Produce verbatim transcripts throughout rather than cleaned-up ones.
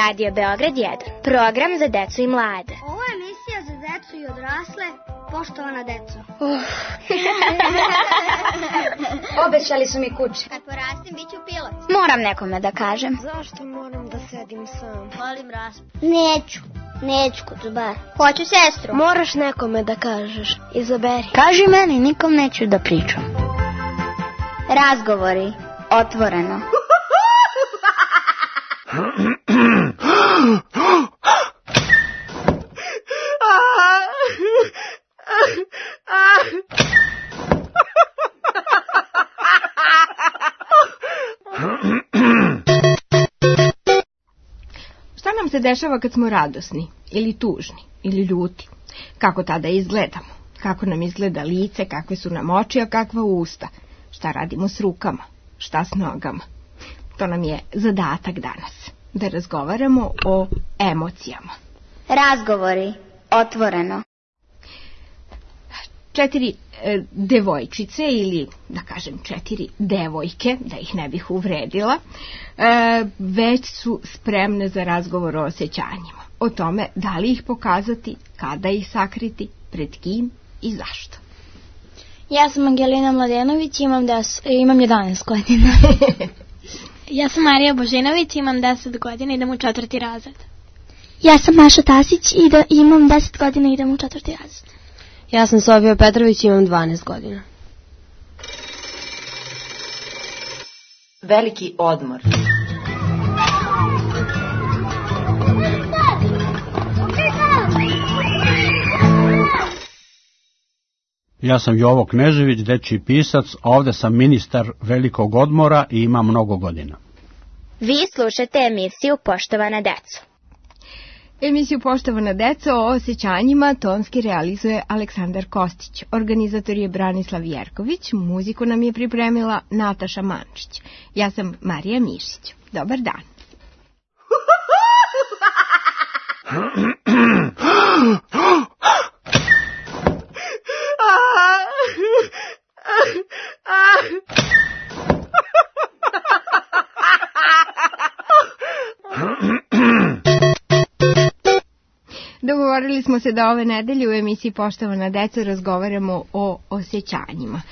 Radio Beograd jedan, program za decu i mlade. Ovo je emisija za decu i odrasle, poštovana deco. Uh. Obećali su mi kuće. Kad porastim, bit ću pilot. Moram nekome da kažem. Zašto moram da sedim sam? Volim raspad. Neću, neću Kuzubar. Hoću sestru. Moraš nekome da kažeš. Izaberi. Kaži meni, nikom neću da pričam. Razgovori, otvoreno. Šta nam se dešava kad smo radosni, ili tužni, ili ljuti? Kako tada izgledamo? Kako nam izgleda lice, kakve su nam oči, a kakva usta? Šta radimo s rukama? Šta s nogama? To nam je zadatak danas, da razgovaramo o emocijama. Razgovori, otvoreno. Četiri e, devojčice, ili da kažem četiri devojke, da ih ne bih uvredila, e, već su spremne za razgovor o osjećanjima. O tome da li ih pokazati, kada ih sakriti, pred kim i zašto. Ja sam Angelina Mladenović, imam, des, imam jedanaest godina. Ja sam Marija Božinović, imam deset godina, idem u četvrti razred. Ja sam Maša Tasić i da imam deset godina i idem u četvrti razred. Ja sam Sofija Petrović, imam dvanaest godina. Veliki odmor. Ja sam Jovo Knežević, dečiji pisac, a ovde sam ministar velikog odmora i imam mnogo godina. Vi slušate emisiju Poštovana deco. Emisiju Poštovana deco o osjećanjima tonski realizuje Aleksandar Kostić. Organizator je Branislav Jerković, muziku nam je pripremila Nataša Mančić. Ja sam Marija Mišić. Dobar dan. Dogovorili smo se da ove nedelje u emisiji Poštovana deco razgovaramo o osjećanjima.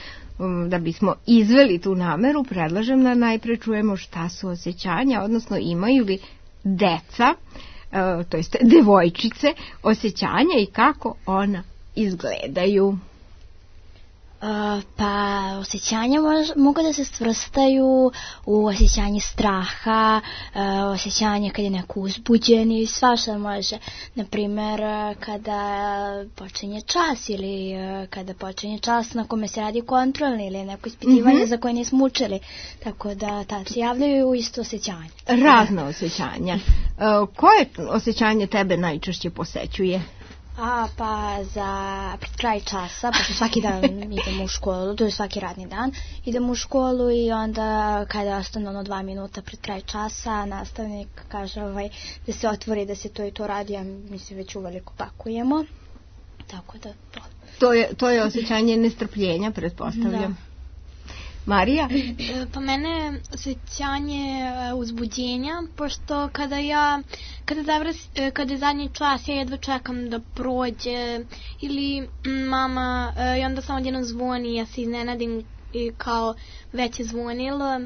Da bismo izveli tu nameru, predlažem da najpre čujemo šta su osjećanja, odnosno imaju li deca, to jest devojčice, osjećanja i kako ona izgledaju. Uh, pa osjećanja mož, mogu da se svrstaju u osjećanje straha, uh, osjećanje kad je neko uzbuđen i svašta može. Naprimer, kada počinje čas ili uh, kada počinje čas na kome se radi kontrolni ili neko ispitivanje mm-hmm. za koje nismo učili. Tako da tad se javljaju isto osjećanje. Razna osjećanja. Uh, koje osjećanje tebe najčešće posećuje? A, pa za pred kraj časa, pošto svaki dan idemo u školu, to je svaki radni dan, idemo u školu i onda kada ostane ono dva minuta pred kraj časa, nastavnik kaže ovaj, da se otvori, da se to i to radi, a mi se već uveliko pakujemo, tako da to. To je, to je osjećanje nestrpljenja, pretpostavljam. Da. Marija? Pa mene osjećanje uzbuđenja, pošto kada ja, kada, zavras, kada je zadnji čas, ja jedva čekam da prođe, ili mama, i onda samo odjednom zvoni, ja se iznenadim i kao već je zvonilo,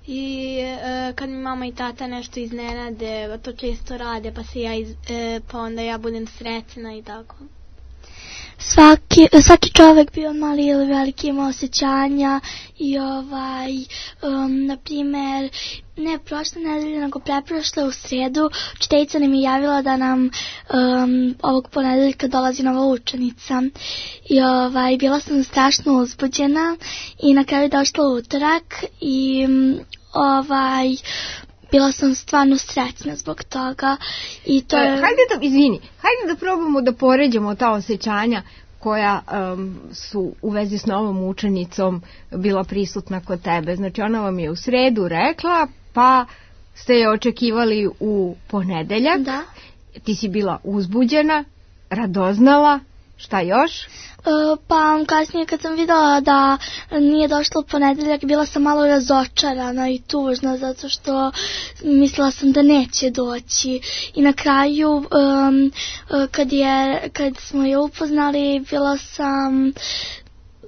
i kad mi mama i tata nešto iznenade, to često rade, pa, se ja iz, pa onda ja budem srećna i tako. Svaki, svaki čovjek bio mali ili veliki ima osjećanja i ovaj, um, na primjer, ne prošle nedelje, nego preprošle u sredu, učiteljica nam je javila da nam um, ovog ponedeljka dolazi nova učenica i ovaj, bila sam strašno uzbuđena i na kraju došla utorak i um, ovaj... bila sam stvarno srećna zbog toga. I to je... Hajde da, izvini, hajde da probamo da poređamo ta osjećanja koja um, su u vezi s novom učenicom bila prisutna kod tebe. Znači ona vam je u sredu rekla, pa ste je očekivali u ponedeljak. Da. Ti si bila uzbuđena, radoznala. Šta još? Pa kasnije kad sam videla da nije došla u ponedeljak, bila sam malo razočarana i tužna zato što mislila sam da neće doći. I na kraju um, kad, je, kad smo je upoznali, bila sam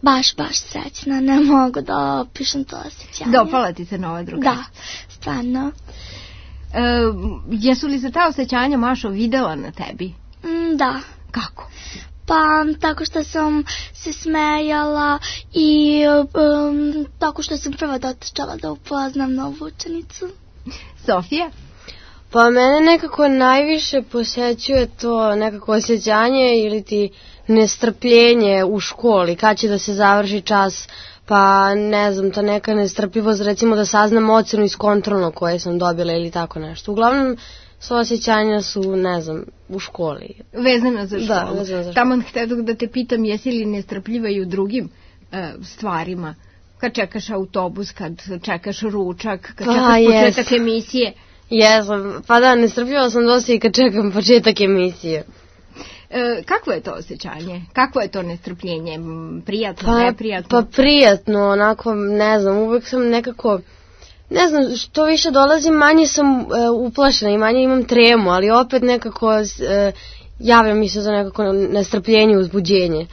baš, baš srećna. Ne mogu da opišem to osjećanje. Dopala ti se nova drugarica? Da, stvarno. E, jesu li se ta osjećanja, Mašo, videla na tebi? Mm, da. Kako? Pa tako što sam se smejala i um, tako što sam prva dotrčala da upoznam novu učenicu. Sofija? Pa mene nekako najviše posjećuje to nekako osjećanje ili ti nestrpljenje u školi, kad će da se završi čas, pa ne znam, ta neka nestrpljivost, recimo da saznam ocenu iz kontrolnog koje sam dobila ili tako nešto. Uglavnom, sva osjećanja su, ne znam, u školi. Vezana za školu. Da, vezana za školu. Tamo htjedo da te pitam, jesi li nestrpljiva i u drugim e, stvarima? Kad čekaš autobus, kad čekaš ručak, kad pa, čekaš početak jes. emisije? Jesam, pa da, nestrpljiva sam dosta i kad čekam početak emisije. E, kakvo je to osjećanje? Kakvo je to nestrpljenje? Prijatno, pa, neprijatno? Pa prijatno, onako, ne znam, uvek sam nekako... Ne znam, što više dolazim, manje sam e, uplašena i manje imam tremu, ali opet nekako e, javlja mi se to nekako nestrpljenje, uzbuđenje.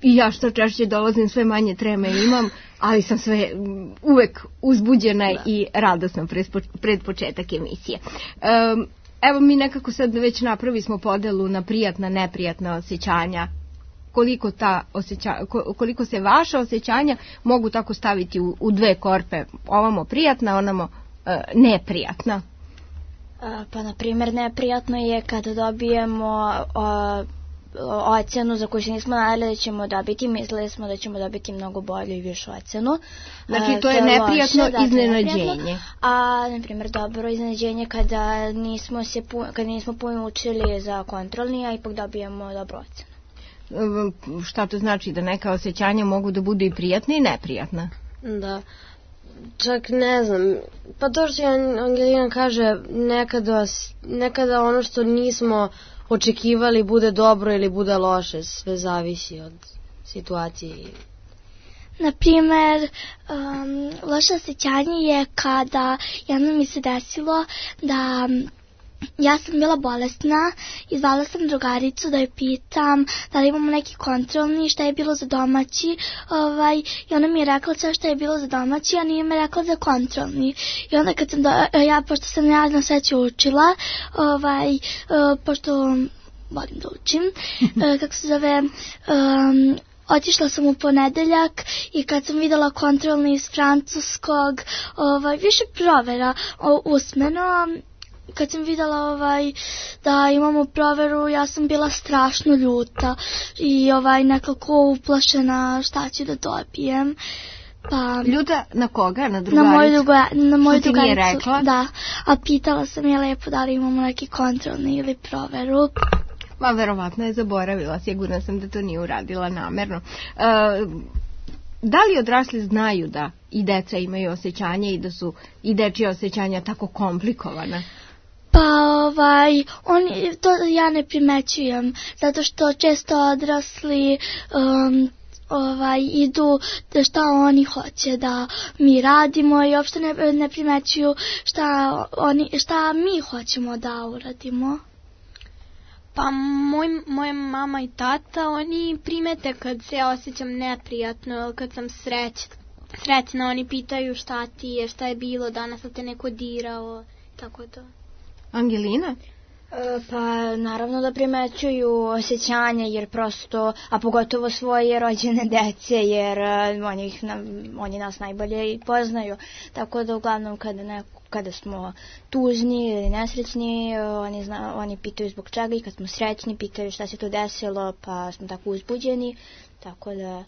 I ja što češće dolazim, sve manje treme imam, ali sam sve uvek uzbuđena da. I radosna pred, pred početak emisije. E, evo mi nekako sad već napravi smo podelu na prijatna, neprijatna osjećanja. Koliko, ta osjeća, koliko se vaša osjećanja mogu tako staviti u, u dve korpe, ovamo prijatna, onamo e, neprijatna. Pa na primjer neprijatno je kada dobijemo o, ocenu za koju se nismo nadali da ćemo dobiti, mislili smo da ćemo dobiti mnogo bolju i višu ocenu. Znači to je neprijatno loše, iznenađenje. Da, neprijatno, a na primjer dobro iznenađenje kada nismo, se, kada nismo puno učili za kontrolni, a ipak dobijemo dobru ocenu. Šta to znači, da neka osjećanja mogu da budu i prijatna i neprijatna? Da, čak ne znam, pa to što Angelina kaže, nekada, nekada ono što nismo očekivali bude dobro ili bude loše, sve zavisi od situacije. Naprimer, um, loše osjećanje je kada jedno mi se desilo da ja sam bila bolesna i zvala sam drugaricu da je pitam da li imamo neki kontrolni, šta je bilo za domaći, ovaj, i ona mi je rekla sve šta je bilo za domaći, a nije me rekla za kontrolni. I onda kad sam, do, ja, pošto sam ja na sveću učila, ovaj, uh, pošto volim da učim, uh, kako se zove... Um, Otišla sam u ponedeljak i kad sam videla kontrolni iz francuskog, ovaj, više provera o, usmeno, kad sam videla ovaj, da imamo proveru, ja sam bila strašno ljuta i ovaj, nekako uplašena šta ću da dobijem. Pa, ljuta na koga? Na drugaricu? Na moju, druga, na moju što ti nije rekla? Da, a pitala sam je lepo da li imamo neki kontrolni ili proveru. Ma verovatno je zaboravila, sigurna sam da to nije uradila namerno. E, da li odrasli znaju da i deca imaju osjećanje i da su i dečije osjećanja tako komplikovana? Pa ovaj, oni, to ja ne primećujem, zato što često odrasli um, ovaj, idu da šta oni hoće da mi radimo i uopšte ne, ne primećuju šta, oni, šta mi hoćemo da uradimo. Pa moj, moja mama i tata, oni primete kad se osjećam neprijatno, kad sam sreć, srećna, oni pitaju šta ti je, šta je bilo danas, da te neko dirao, tako to. Angelina? E, pa naravno da primećuju osjećanja, jer prosto, a pogotovo svoje rođene dece, jer oni, ih, oni nas najbolje i poznaju, tako da uglavnom kada neko kada smo tužni ili nesrećni, oni, zna, oni pitaju zbog čega, i kad smo srećni pitaju šta se to desilo, pa smo tako uzbuđeni, tako da...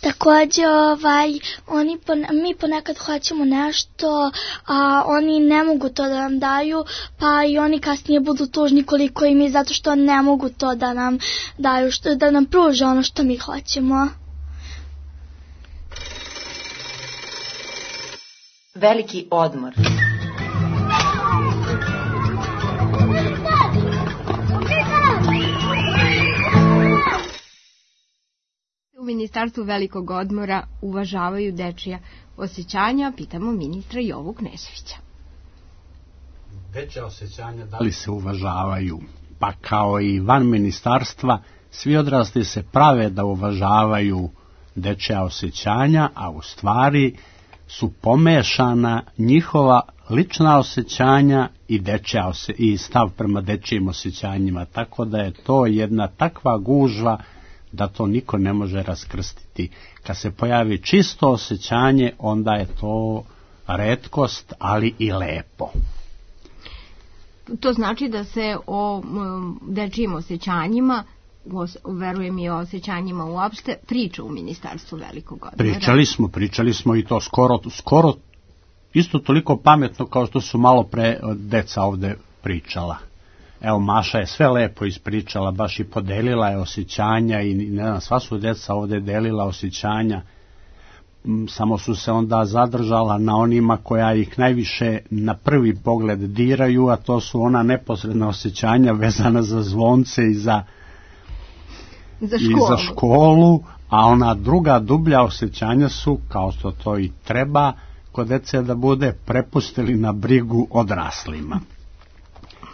Također, ovaj, oni, mi ponekad hoćemo nešto, a oni ne mogu to da nam daju, pa i oni kasnije budu tužni koliko i mi, zato što ne mogu to da nam daju, što, da nam pruže ono što mi hoćemo. Veliki odmor. Ministarstvu velikog odmora uvažavaju dečija osjećanja? Pitamo ministra Jovu Kneževića. Dečja osjećanja da li se uvažavaju? Pa kao i van ministarstva, svi odrasli se prave da uvažavaju dečja osjećanja, a u stvari su pomešana njihova lična osjećanja i, dečja osje, i stav prema dečjim osjećanjima, tako da je to jedna takva gužva da to niko ne može raskrstiti. Kad se pojavi čisto osjećanje, onda je to retkost, ali i lepo. To znači da se o dečjim osjećanjima, verujem i o osjećanjima uopšte, priča u Ministarstvu velikog odmora. Pričali smo, pričali smo i to skoro, skoro isto toliko pametno kao što su malo pre deca ovde pričala. Evo, Maša je sve lepo ispričala, baš i podelila je osjećanja i ne znam, sva su deca ovde delila osjećanja, samo su se onda zadržala na onima koja ih najviše na prvi pogled diraju, a to su ona neposredna osjećanja vezana za zvonce i za, za, i za školu, a ona druga dublja osjećanja su, kao što to i treba kod dece da bude, prepustili na brigu odraslima.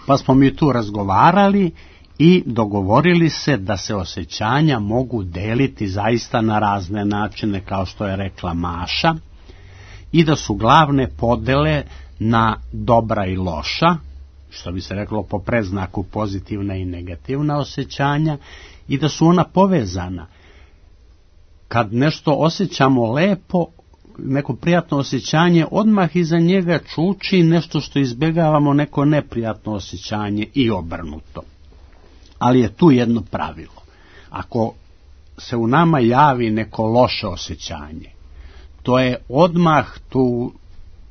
Pa smo mi tu razgovarali i dogovorili se da se osjećanja mogu deliti zaista na razne načine, kao što je rekla Maša, i da su glavne podele na dobra i loša, što bi se reklo po predznaku pozitivna i negativna osjećanja, i da su ona povezana. Kad nešto osjećamo lepo, neko prijatno osjećanje, odmah iza njega čuči nešto što izbjegavamo, neko neprijatno osjećanje i obrnuto. Ali je tu jedno pravilo. Ako se u nama javi neko loše osjećanje, to je odmah tu,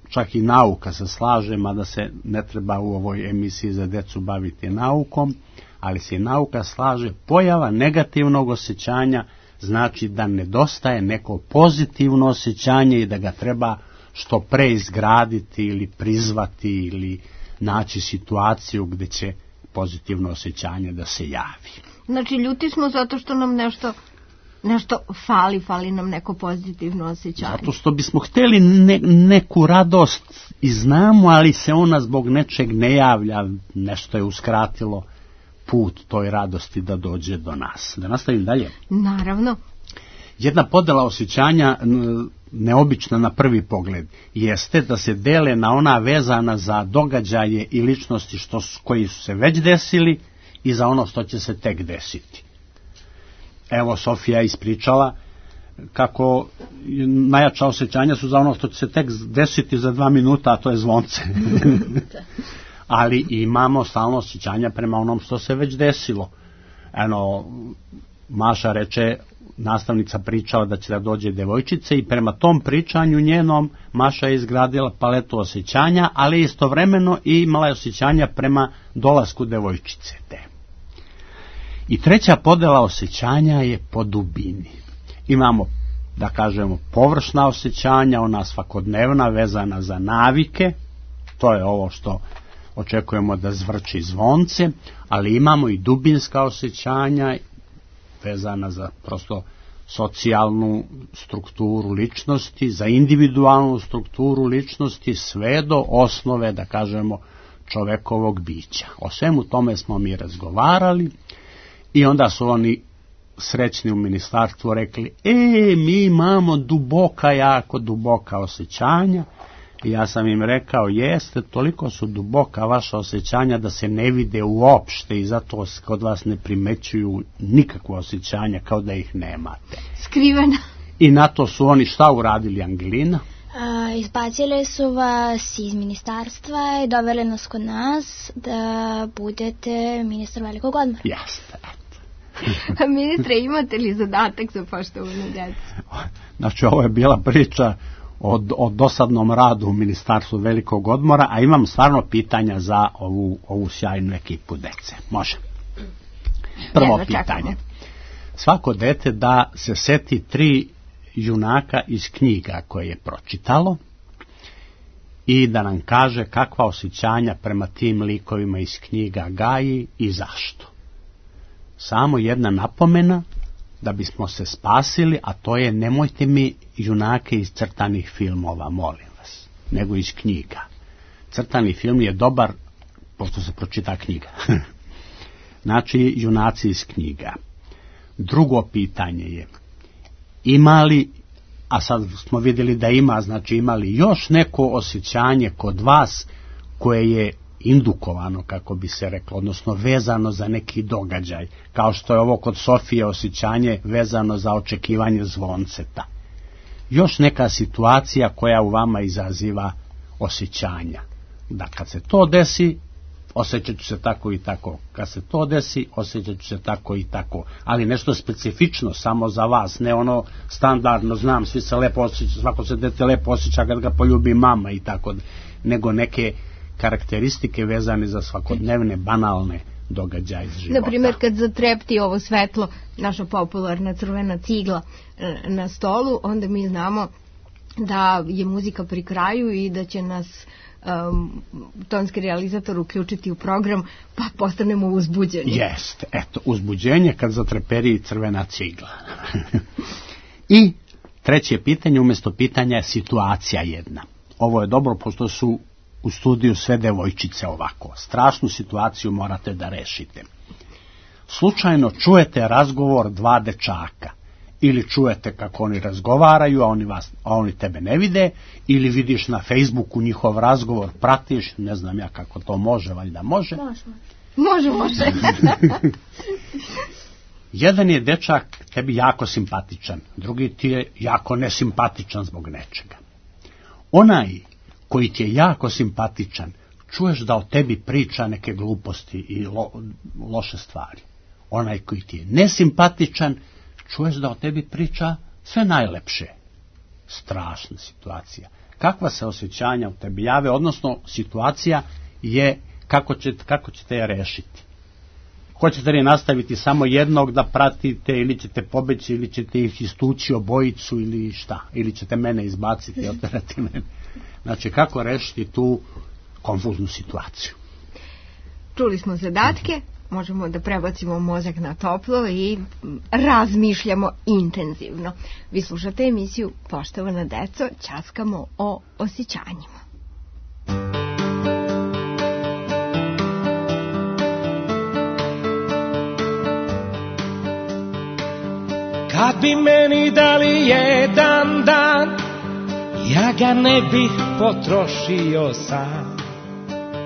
čak i nauka se slaže, mada se ne treba u ovoj emisiji za decu baviti naukom, ali se i nauka slaže, pojava negativnog osjećanja znači da nedostaje neko pozitivno osjećanje i da ga treba što pre izgraditi ili prizvati ili naći situaciju gdje će pozitivno osjećanje da se javi. Znači, ljuti smo zato što nam nešto, nešto fali, fali nam neko pozitivno osjećanje. Zato što bismo htjeli ne, neku radost i znamo, ali se ona zbog nečeg ne javlja, nešto je uskratilo put toj radosti da dođe do nas. Da nastavim dalje? Naravno. Jedna podela osjećanja, neobična na prvi pogled, jeste da se dele na ona vezana za događaje i ličnosti što, koji su se već desili i za ono što će se tek desiti. Evo, Sofija ispričala kako najjača osjećanja su za ono što će se tek desiti za dva minuta, a to je zvonce. Ali imamo stalno osjećanja prema onom što se već desilo. Eno, Maša reče, nastavnica pričala da će da dođe devojčice i prema tom pričanju njenom Maša je izgradila paletu osjećanja, ali istovremeno i imala je osjećanja prema dolasku devojčice te. I treća podela osjećanja je po dubini. Imamo, da kažemo, površna osjećanja, ona svakodnevna, vezana za navike, to je ovo što očekujemo da zvrči zvonce, ali imamo i dubinska osjećanja vezana za prosto socijalnu strukturu ličnosti, za individualnu strukturu ličnosti, sve do osnove, da kažemo, čovekovog bića. O svemu tome smo mi razgovarali i onda su oni srećni u ministarstvu rekli, e, mi imamo duboka, jako duboka osjećanja. I ja sam im rekao, jeste, toliko su duboka vaša osjećanja da se ne vide uopšte i zato kod vas ne primećuju nikakva osjećanja, kao da ih nemate. Skrivena. I na to su oni šta uradili, Angelina? A, izbacili su vas iz ministarstva i doveli nas kod nas da budete ministar velikog odmora. Jeste. A ministre, imate li zadatak za poštovanu djecu? Znači, ovo je bila priča o, o dosadnom radu u Ministarstvu velikog odmora, a imam stvarno pitanja za ovu, ovu sjajnu ekipu dece. Može? Prvo pitanje. Svako dete da se seti tri junaka iz knjiga koje je pročitalo i da nam kaže kakva osjećanja prema tim likovima iz knjiga gaji i zašto. Samo jedna napomena, da bismo se spasili, a to je nemojte mi junake iz crtanih filmova, molim vas, nego iz knjiga. Crtani film je dobar, pošto se pročita knjiga. Znači, junaci iz knjiga. Drugo pitanje je, ima li, a sad smo vidjeli da ima, znači ima li još neko osjećanje kod vas koje je indukovano, kako bi se reklo, odnosno vezano za neki događaj, kao što je ovo kod Sofije osjećanje vezano za očekivanje zvonceta. Još neka situacija koja u vama izaziva osjećanja. Da kad se to desi, osjećat ću se tako i tako. Kad se to desi, osjećat ću se tako i tako. Ali nešto specifično samo za vas, ne ono standardno, znam, svi se lepo osjeća, svako se dete lepo osjeća kad ga poljubi mama i tako, nego neke karakteristike vezane za svakodnevne, banalne događaje iz života. Naprimjer, kad zatrepti ovo svetlo, naša popularna crvena cigla na stolu, onda mi znamo da je muzika pri kraju i da će nas um, tonski realizator uključiti u program, pa postanemo uzbuđeni. Jeste, eto, uzbuđenje kad zatreperi crvena cigla. I treće pitanje, umjesto pitanja je situacija jedna. Ovo je dobro, pošto su u studiju sve devojčice ovako. Strašnu situaciju morate da rešite. Slučajno čujete razgovor dva dečaka. Ili čujete kako oni razgovaraju, a oni, vas, a oni tebe ne vide, ili vidiš na Facebooku njihov razgovor, pratiš, ne znam ja kako to može, valjda može. Može, može. može. Jedan je dečak tebi jako simpatičan, drugi ti je jako nesimpatičan zbog nečega. Onaj koji ti je jako simpatičan, čuješ da o tebi priča neke gluposti i lo, loše stvari. Onaj koji ti je nesimpatičan, čuješ da o tebi priča sve najlepše. Strašna situacija. Kakva se osjećanja u tebi jave, odnosno situacija je kako, će, kako ćete je rešiti. Hoćete li nastaviti samo jednog da pratite, ili ćete pobeći, ili ćete ih istući obojicu, ili šta, ili ćete mene izbaciti i oterati mene. Znači, kako rešiti tu konfuznu situaciju. Čuli smo zadatke, možemo da prebacimo mozak na toplo i razmišljamo intenzivno. Vi slušate emisiju Poštovana deco, ćaskamo o osjećanjima. Kad bi meni dali jedan dan, ja ga ne bih potrošio sam.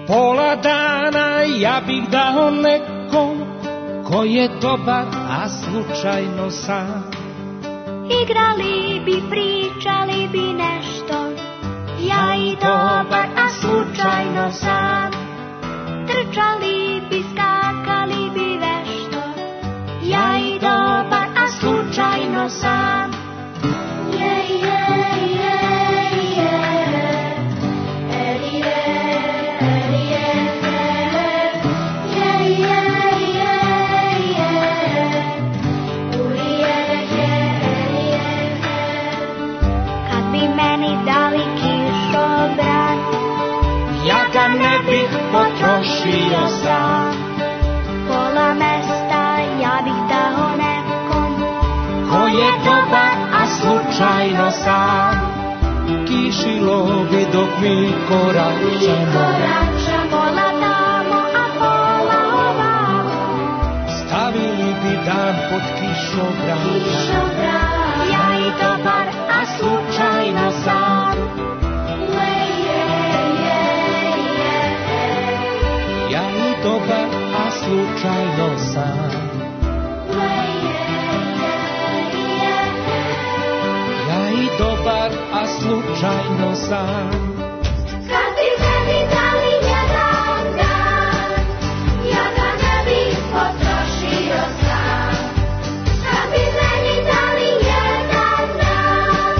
Pola dana ja bih dao nekom ko je dobar, a slučajno sam. Igrali bi, pričali bi nešto, ja i dobar, a slučajno sam. Trčali bi, skakali bi vešto, ja i dobar, a slučajno sam. Je, je, je, je, Elije, Elije, je, je, je, je, Ulije, je, Elije. Kad bi meni dali kišobran, ja ga ne bih potrošio sam. Pola mesta ja bih dao nekom ko je dobar, a slučajno sam. Kišilo bi dok mi koračamo, pola tamo, a pola ovamo. Stavili bi dan pod kišobran, ja i dobar, a slučajno sam. Ja i dobar, a slučajno sam. Ja i dobar, a slučajno sam. Kad bi meni dali jedan dan, ja ga ne bih potrošio sam. Kad bi meni dali jedan dan,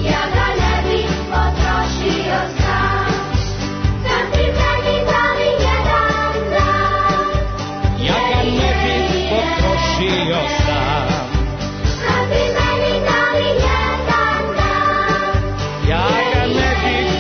ja ga ne bih potrošio sam. Kad bi meni dali jedan dan, ja ga ne bih potrošio sam. Kad bi meni dali jedan dan, ja ga ne bih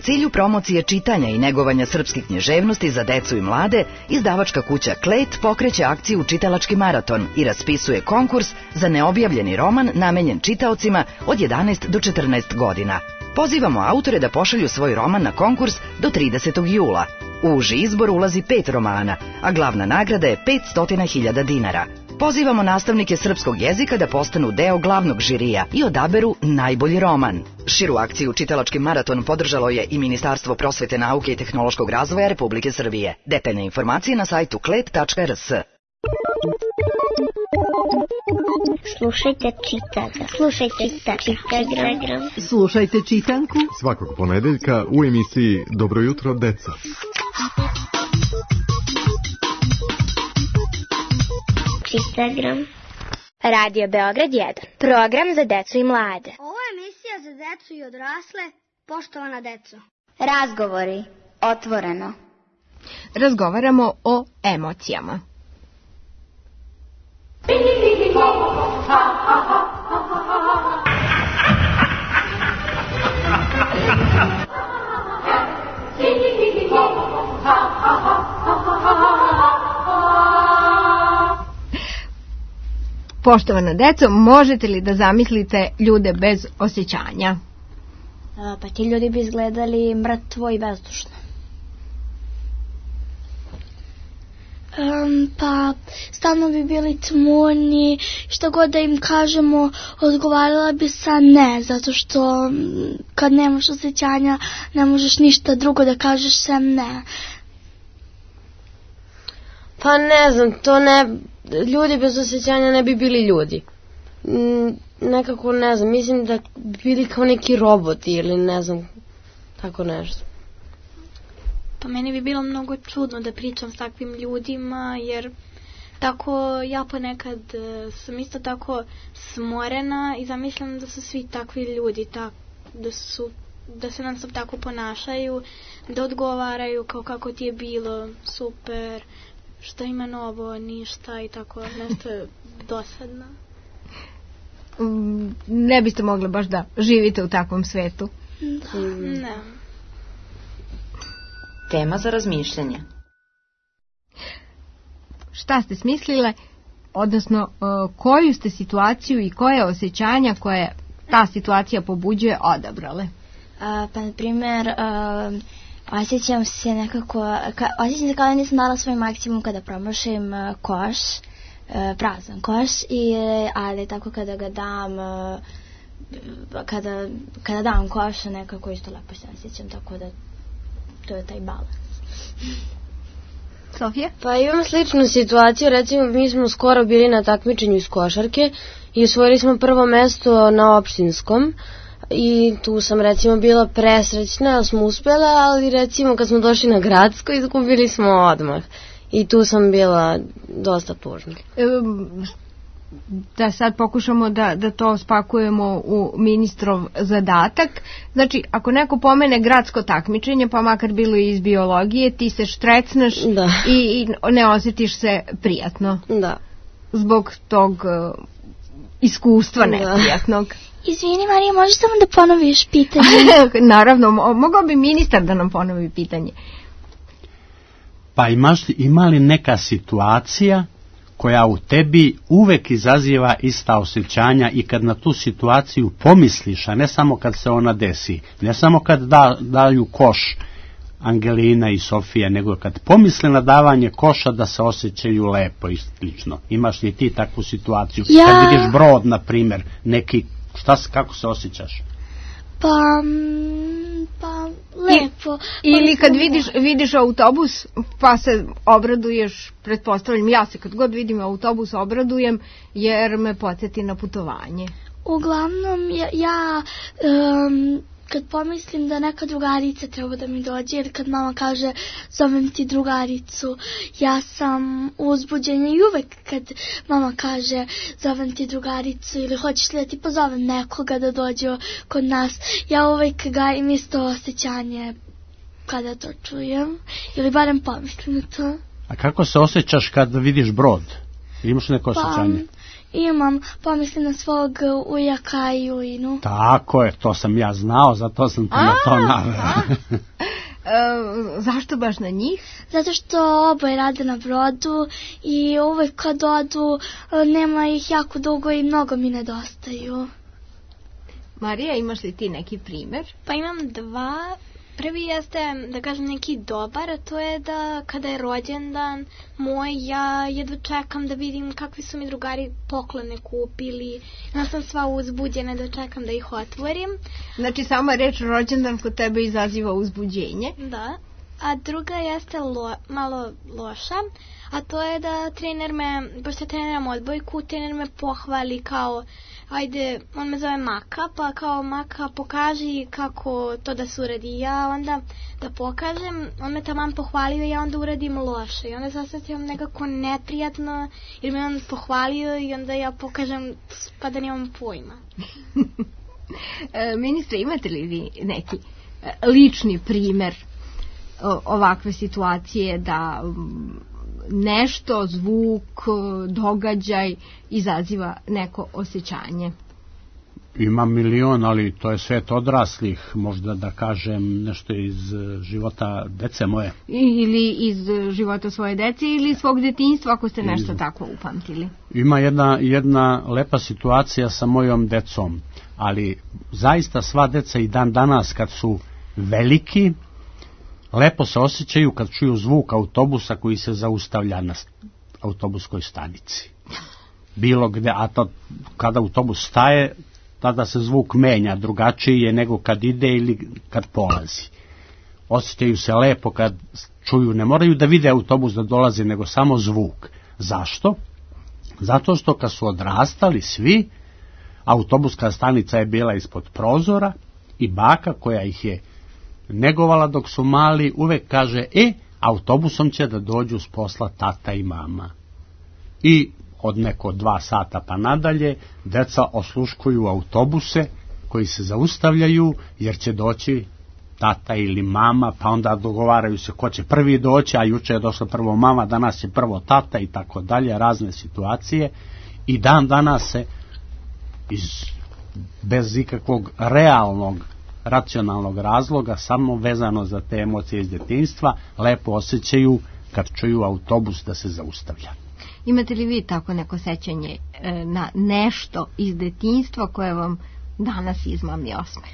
cilju promocije čitanja i negovanja srpske književnosti za decu i mlade, izdavačka kuća Klet pokreće akciju Čitalački maraton i raspisuje konkurs za neobjavljeni roman namenjen čitaocima od jedanaest do četrnaest godina. Pozivamo autore da pošalju svoj roman na konkurs do tridesetog jula. U uži izbor ulazi pet romana, a glavna nagrada je petsto hiljada dinara. Pozivamo nastavnike srpskog jezika da postanu deo glavnog žirija i odaberu najbolji roman. Širu akciju Čitalački maraton podržalo je i Ministarstvo prosvete, nauke i tehnološkog razvoja Republike Srbije. Detaljne informacije na sajtu klet tačka r s. Slušajte čitanga. Slušajte čitagram. Slušajte čitanku svakog ponedeljka u emisiji Dobro jutro, deco. Čitagram. Radio Beograd jedan. Program za decu i mlade. Ovo je emisija za decu i odrasle, poštovana deco. Razgovori. Otvoreno. Razgovaramo o emocijama. Poštovana deco, možete li da zamislite ljude bez osjećanja? A, pa ti ljudi bi izgledali mrtvo i bezdušno. Um, pa stalno bi bili tmurni, što god da im kažemo odgovarala bi sa ne, zato što kad nemaš osjećanja ne možeš ništa drugo da kažeš sem ne. Pa ne znam, to ne, ljudi bez osjećanja ne bi bili ljudi. Mm, nekako ne znam, mislim da bi bili kao neki roboti ili ne znam, tako nešto. Pa meni bi bilo mnogo čudno da pričam s takvim ljudima, jer tako ja ponekad sam isto tako smorena i zamislim da su svi takvi ljudi, tak, da, su, da se nam sad tako ponašaju, da odgovaraju kao kako ti je bilo, super, šta ima novo, ništa i tako nešto dosadno. Ne biste mogli baš da živite u takvom svetu? Da, ne. Tema za razmišljanje. Šta ste smislile, odnosno koju ste situaciju i koje osjećanja koje ta situacija pobuđuje odabrale? A, pa, na primjer, a, osjećam se nekako, ka, osjećam se kao da nisam dala svoj maksimum kada promašim a, koš, a, prazan koš, i, ali tako kada ga dam, a, kada, kada dam koš, nekako isto lepo se osjećam, tako da to je taj balans. Sofija? Pa imam sličnu situaciju, recimo mi smo skoro bili na takmičenju iz košarke i osvojili smo prvo mesto na opštinskom i tu sam recimo bila presrećna da smo uspjela, ali recimo kad smo došli na gradsko izgubili smo odmah i tu sam bila dosta tužna. Um, da sad pokušamo da, da to spakujemo u ministrov zadatak. Znači, ako neko pomene gradsko takmičenje, pa makar bilo i iz biologije, ti se štrecneš i, i ne osjetiš se prijatno. Da. Zbog tog uh, iskustva neprijatnog. Izvini, Marija, možeš samo da ponoviš pitanje? Naravno, mogao bi ministar da nam ponovi pitanje. Pa imaš, ima li neka situacija koja u tebi uvek izaziva ista osjećanja i kad na tu situaciju pomisliš, a ne samo kad se ona desi, ne samo kad da, daju koš Angelina i Sofija, nego kad pomisle na davanje koša da se osjećaju lepo i slično. Imaš li ti takvu situaciju? Ja... Kad vidiš brod, na primjer, neki, šta, kako se osjećaš? Pa, pa lepo. I, ili kad vidiš, vidiš autobus pa se obraduješ, pretpostavljam, ja se kad god vidim autobus obradujem jer me podsjeti na putovanje. Uglavnom ja, ja um, kad pomislim da neka drugarica treba da mi dođe ili kad mama kaže zovem ti drugaricu, ja sam uzbuđena i uvek kad mama kaže zovem ti drugaricu ili hoćeš li da ti pozovem nekoga da dođe kod nas, ja uvek gajim isto osjećanje kada to čujem ili barem pomislim na to. A kako se osjećaš kad vidiš brod? Imaš neko osjećanje? Pa, imam, pomislim na svog ujaka i ujinu. Tako je, to sam ja znao, zato sam te na to naveo. E, zašto baš na njih? Zato što oboje rade na brodu i uvek kad odu nema ih jako dugo i mnogo mi nedostaju. Marija, imaš li ti neki primer? Pa imam dva. Prvi jeste, da kažem, neki dobar, a to je da kada je rođendan moj, ja jedva čekam da vidim kakvi su mi drugari poklone kupili. Ja sam sva uzbuđena da čekam da ih otvorim. Znači, sama reč rođendan kod tebe izaziva uzbuđenje? Da. A druga jeste lo, malo loša, a to je da trener me, pošto treniram odbojku, trener me pohvali kao, ajde, on me zove Maka, pa kao Maka pokaži kako to da se uradi. Ja onda da pokažem, on me taman pohvalio i ja onda uradim loše. I onda se osjećam nekako neprijatno jer me on pohvalio i onda ja pokažem pa da nemam pojma. e, ministre, imate li vi neki lični primer ovakve situacije da nešto, zvuk, događaj izaziva neko osjećanje? Ima milion, ali to je svet odraslih, možda da kažem nešto iz života dece moje. Ili iz života svoje dece ili svog detinjstva, ako ste nešto iz... tako upamtili. Ima jedna, jedna lepa situacija sa mojom decom, ali zaista sva deca i dan danas kad su veliki, lepo se osjećaju kad čuju zvuk autobusa koji se zaustavlja na autobuskoj stanici. Bilo gde, a to, kada autobus staje, tada se zvuk menja, drugačiji je nego kad ide ili kad polazi. Osjećaju se lepo kad čuju, ne moraju da vide autobus da dolazi, nego samo zvuk. Zašto? Zato što kad su odrastali svi, autobuska stanica je bila ispod prozora i baka koja ih je negovala dok su mali, uvek kaže, e, autobusom će da dođu s posla tata i mama. I od neko dva sata pa nadalje, deca osluškuju autobuse koji se zaustavljaju, jer će doći tata ili mama, pa onda dogovaraju se ko će prvi doći, a juče je došla prvo mama, danas je prvo tata i tako dalje, razne situacije. I dan danas se iz, bez ikakvog realnog racionalnog razloga, samo vezano za te emocije iz detinjstva, lepo osjećaju kad čuju autobus da se zaustavlja. Imate li vi tako neko sećanje e, na nešto iz detinjstva koje vam danas izmami osmeh?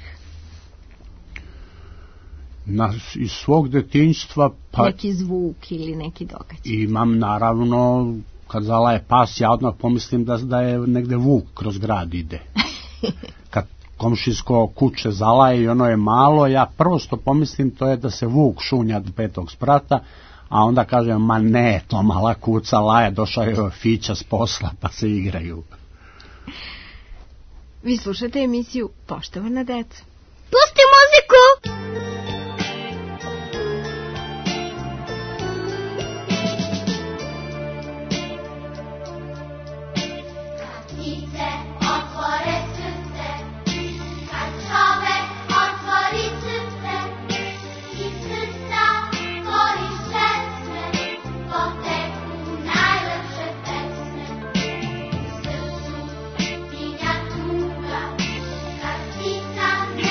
Na, iz svog detinjstva pa... Neki zvuk ili neki događaj? Imam naravno, kad zalaje pas, ja odmah pomislim da, da je negde vuk kroz grad ide. Kad komšinsko kuće zalaje i ono je malo, ja prvo što pomislim to je da se vuk šunja do petog sprata, a onda kažem, ma ne, to mala kuca laje, došao je Fića s posla pa se igraju. Vi slušate emisiju Poštovana deca. Pusti muziku! Ptica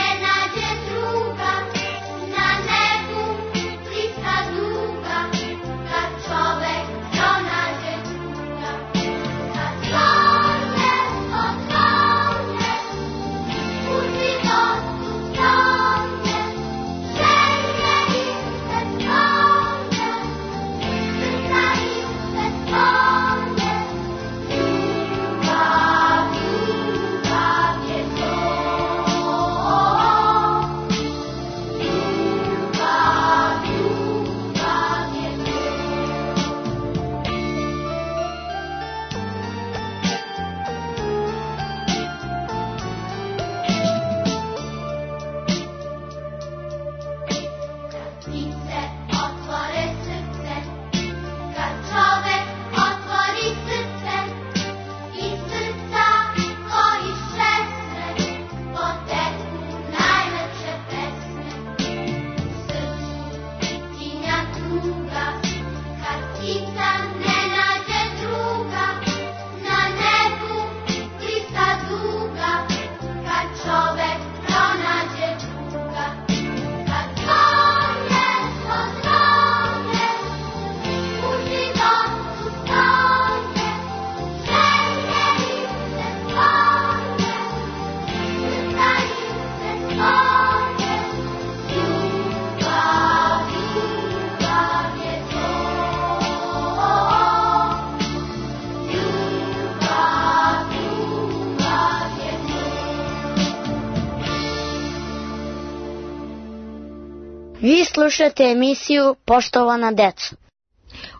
Vi slušate emisiju Poštovana deco.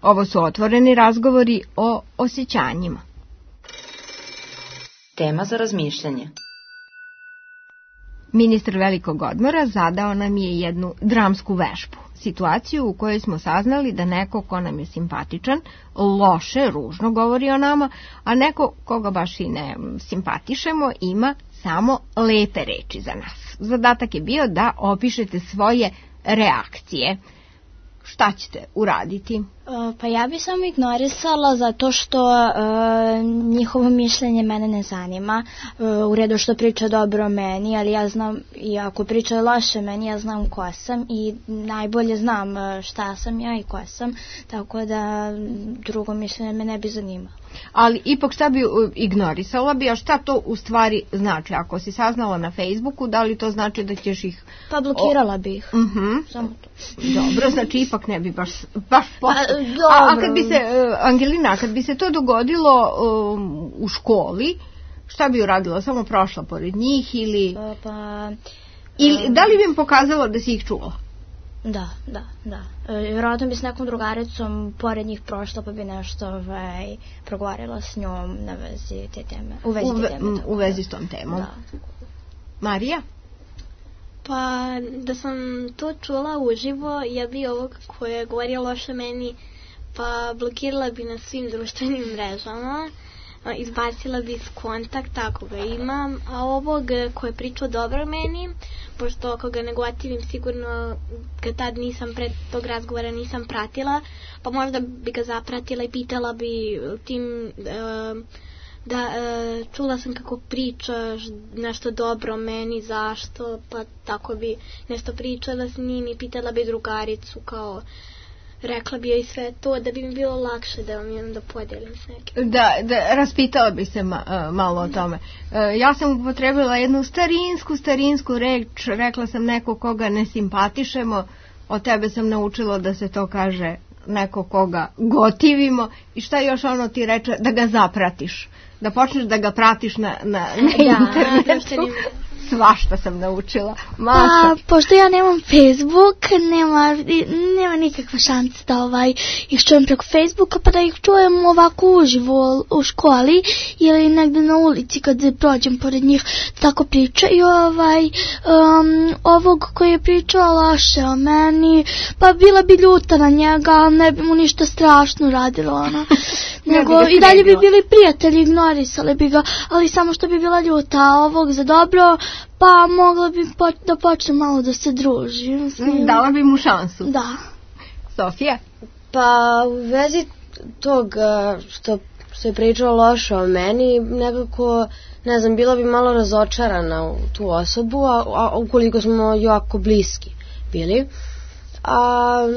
Ovo su otvoreni razgovori o osjećanjima. Tema za razmišljanje. Ministar velikog odmora zadao nam je jednu dramsku vežbu. Situaciju u kojoj smo saznali da neko ko nam je simpatičan, loše, ružno govori o nama, a neko koga baš i ne simpatišemo ima samo lepe reči za nas. Zadatak je bio da opišete svoje reakcije. Šta ćete uraditi? Pa ja bi samo ignorisala zato što e, njihovo mišljenje mene ne zanima. E, u redu što priča dobro o meni, ali ja znam, i ako priča loše o meni, ja znam ko sam i najbolje znam šta sam ja i ko sam, tako da drugo mišljenje me ne bi zanimalo. Ali ipak šta bi ignorisala bi, a šta to u stvari znači? Ako si saznala na Facebooku, da li to znači da ćeš ih... Pa blokirala bi ih. Uh-huh. Samo to. Dobro, znači ipak ne bi baš, baš postao. A, a kad bi se, Angelina, kad bi se to dogodilo um, u školi, šta bi uradila? Samo prošla pored njih ili... Pa... pa ili da li bi im pokazala da si ih čula? Da, da, da. E, vjerojatno bi s nekom drugaricom pored njih prošla pa bi nešto ovaj, progovarila s njom na vezi te teme. U vezi, u, te teme, u vezi s tom temom. Da. Marija? Pa da sam to čula uživo, ja bi ovog koje je govorio loše meni, pa blokirala bi na svim društvenim mrežama, izbacila bi iz kontakta ako ga imam, a ovog koje je pričao dobro meni, pošto ako ga negotivim sigurno ga tad nisam pred tog razgovora nisam pratila, pa možda bi ga zapratila i pitala bi tim uh, da uh, čula sam kako pričaš nešto dobro o meni, zašto, pa tako bi nešto pričala s njim i pitala bi drugaricu kao rekla bi joj sve to da bi mi bilo lakše da vam imam da podijelim s nekim. Da, da raspitala bi se ma, uh, malo o tome. Uh, ja sam upotrebila jednu starinsku, starinsku reč, rekla sam neko koga ne simpatišemo, od tebe sam naučila da se to kaže neko koga gotivimo i šta još ono ti reče, da ga zapratiš, da počneš da ga pratiš na, na, na internetu. Svašta sam naučila. Maša. Pa, pošto ja nemam Facebook, nema, nema nikakva šansa da ovaj, ih čujem preko Facebooka, pa da ih čujem ovako uživo u školi ili negde na ulici kad prođem pored njih, tako priča. I ovaj, um, ovog koji je pričao loše o meni, pa bila bi ljuta na njega, ali ne bi mu ništa strašno radilo, ono. Nego i dalje bi bili prijatelji, ignorisali bi ga, ali samo što bi bila ljuta, a ovog za dobro, pa mogla bi po, da počne malo da se druži. Mislim. Dala bi mu šansu. Da. Sofija? Pa u vezi tog što se je pričao loše o meni, nekako, ne znam, bila bi malo razočarana u tu osobu, a, a ukoliko smo jako bliski bili. A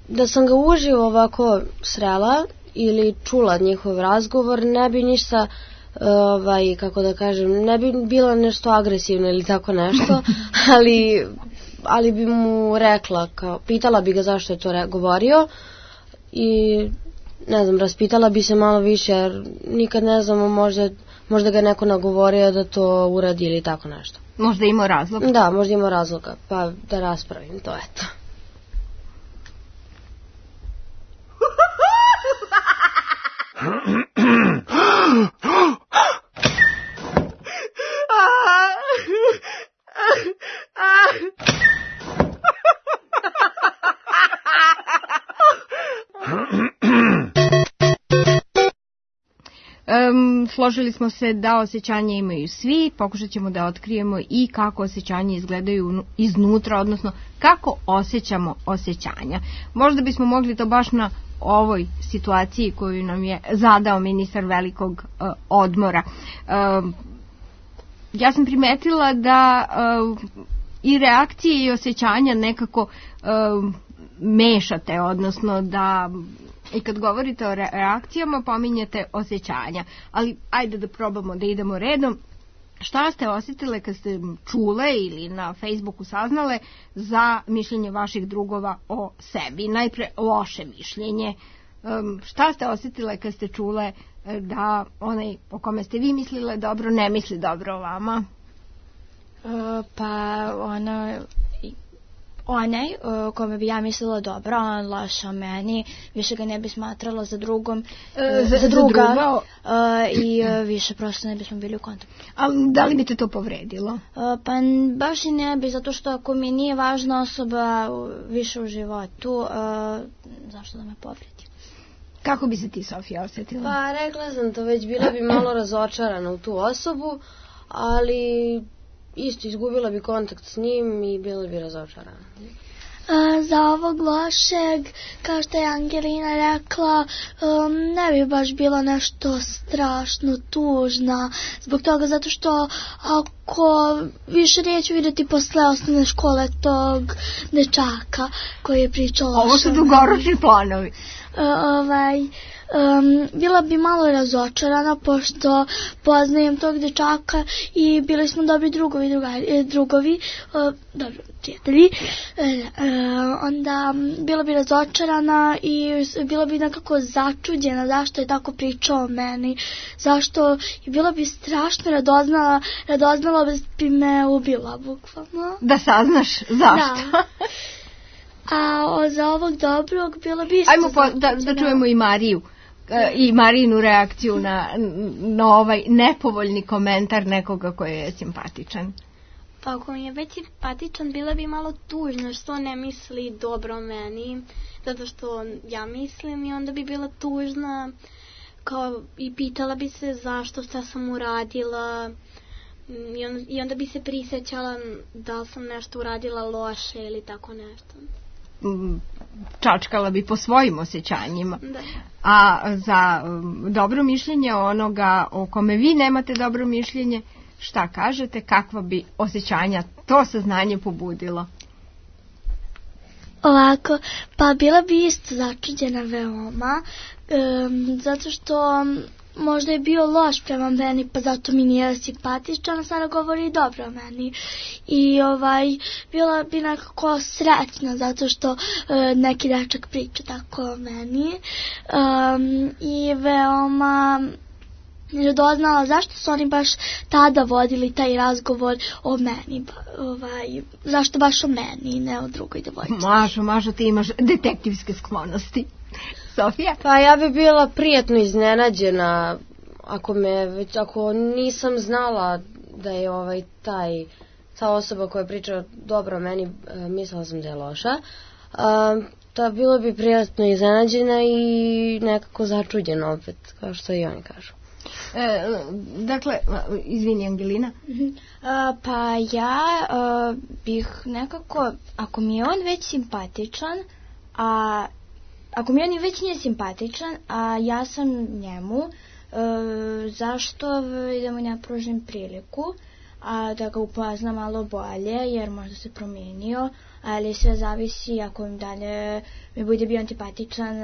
da sam ga uživo ovako srela ili čula njihov razgovor, ne bi ništa, ovaj, kako da kažem, ne bi bilo nešto agresivno ili tako nešto, ali, ali bi mu rekla, kao, pitala bi ga zašto je to re, govorio i ne znam, raspitala bi se malo više, jer nikad ne znamo, možda, možda ga neko nagovorio da to uradi ili tako nešto. Možda imao razloga? Da, možda imao razloga, pa da raspravim to, eto. Um, složili smo se da osjećanja imaju svi, pokušat ćemo da otkrijemo i kako osjećanja izgledaju iznutra, odnosno kako osjećamo osjećanja. Možda bismo mogli to baš na ovoj situaciji koju nam je zadao ministar velikog uh, odmora. Uh, ja sam primetila da uh, i reakcije i osjećanja nekako uh, mešate, odnosno da i kad govorite o reakcijama pominjete osjećanja, ali ajde da probamo da idemo redom. Šta ste osjetile kad ste čule ili na Facebooku saznale za mišljenje vaših drugova o sebi? Najpre loše mišljenje. Um, šta ste osjetile kad ste čule da onaj o kome ste vi mislile dobro ne misli dobro o vama? Uh, pa ono... onaj uh, kome bi ja mislila dobro, on loše o meni, više ga ne bi smatralo za drugom, E, uh, za, za druga za druga. uh, i uh, više prosto ne bismo bili u kontaktu. A da li bi te to povredilo? Uh, pa n- baš i ne bi, zato što ako mi nije važna osoba uh, više u životu, uh, zašto da me povredi? Kako bi se ti, Sofija, osjetila? Pa rekla sam to, već bila bi malo razočarana u tu osobu, ali isto izgubila bi kontakt s njim i bila bi razočarana. A, za ovog lošeg, kao što je Angelina rekla, um, ne bi baš bila nešto strašno tužna, zbog toga zato što ako više neću vidjeti posle osnovne škole tog dečaka koji je pričao loše. Ovo su dugoročni planovi. Uh, ovaj, um, bila bi malo razočarana pošto poznajem tog dečaka i bili smo dobri drugovi, drugari, drugovi uh, dobro, prijatelji. Uh, uh, onda bila bi razočarana i bila bi nekako začuđena zašto je tako pričao o meni, zašto i bila bi strašno radoznala, radoznala bi me ubila bukvalno. Da saznaš zašto. Da. A o, za ovog dobrog bilo bi isto. Ajmo po, da, da čujemo i Mariju e, i Marijinu reakciju na, na ovaj nepovoljni komentar nekoga koji je simpatičan. Pa ako mi je već simpatičan, bila bi malo tužna što ne misli dobro o meni, zato što ja mislim, i onda bi bila tužna kao, i pitala bi se zašto, šta sam uradila, i onda, i onda bi se prisjećala da li sam nešto uradila loše ili tako nešto. Čačkala bi po svojim osjećanjima. Da. A za um, dobro mišljenje onoga o kome vi nemate dobro mišljenje, šta kažete, kakva bi osjećanja to saznanje pobudilo? Ovako, pa bila bi isto začuđena veoma, um, zato što možda je bio loš prema meni, pa zato mi nije simpatičan, sada govori dobro o meni. I ovaj, bila bi nekako sretna, zato što uh, neki dečak priča tako o meni. Um, I veoma doznala zašto su oni baš tada vodili taj razgovor o meni, ovaj, zašto baš o meni, ne o drugoj devojčici. Mažo, Mažo, ti imaš detektivske sklonosti. Sofija? Pa ja bi bila prijatno iznenađena ako me već, ako nisam znala da je ovaj taj ta osoba koja priča dobro o meni, mislila sam da je loša. A, ta bilo bi prijatno iznenađena i nekako začuđena opet, kao što i oni kažu. E, dakle, izvini Angelina. Uh, pa ja uh, bih nekako, ako mi je on već simpatičan, a ako mi on već nije simpatičan, a ja sam njemu, uh, zašto da mu ne pružim priliku, a da ga upoznam malo bolje, jer možda se promijenio, ali sve zavisi ako im dalje mi bude bio antipatičan,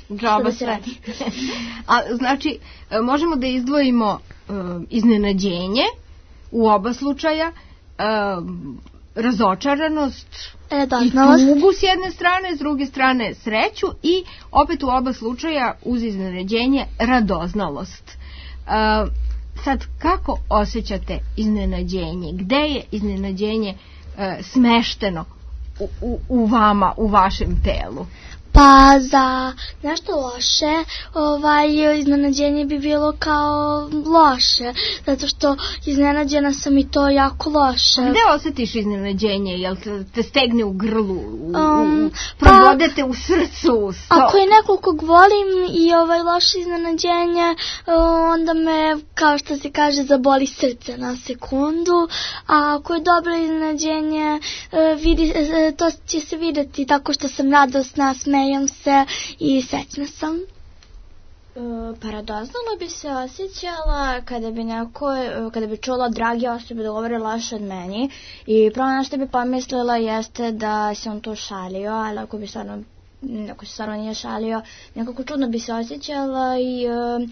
džaba se radi. A znači, možemo da izdvojimo uh, iznenađenje u oba slučaja, uh, razočaranost i tugu s jedne strane, s druge strane sreću i opet u oba slučaja uz iznenađenje radoznalost. Uh, sad, kako osjećate iznenađenje? Gde je iznenađenje uh, smešteno u, u, u vama, u vašem telu? Pa za nešto loše, ovaj, iznenađenje bi bilo kao loše, zato što iznenađena sam i to jako loše. A gde osjetiš iznenađenje? Jel te, te stegne u grlu, u, um, u, probodete pa, u srcu? So... Ako je nekog kog volim i ovaj loše iznenađenje, onda me, kao što se kaže, zaboli srce na sekundu, a ako je dobro iznenađenje, vidi, to će se vidjeti tako što sam radosna, smejem se i srećna sam. Uh, pa radoznalo bi se osjećala kada bi neko, kada bi čula dragi osobe da govore loše od meni i prvo na što bi pomislila jeste da se on to šalio, ali ako bi stvarno, ako se stvarno nije šalio, nekako čudno bi se osjećala i uh,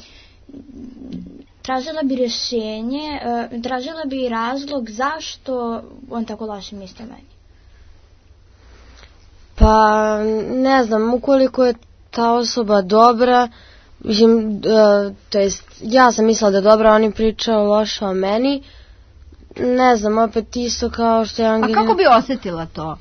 tražila bi rješenje, uh, tražila bi razlog zašto on tako loše misli o meni. Pa ne znam, ukoliko je ta osoba dobra, mislim, uh, to jest ja sam mislila da je dobra, oni pričao loše o meni, ne znam, opet isto kao što je Angelina. A kako bi osjetila to?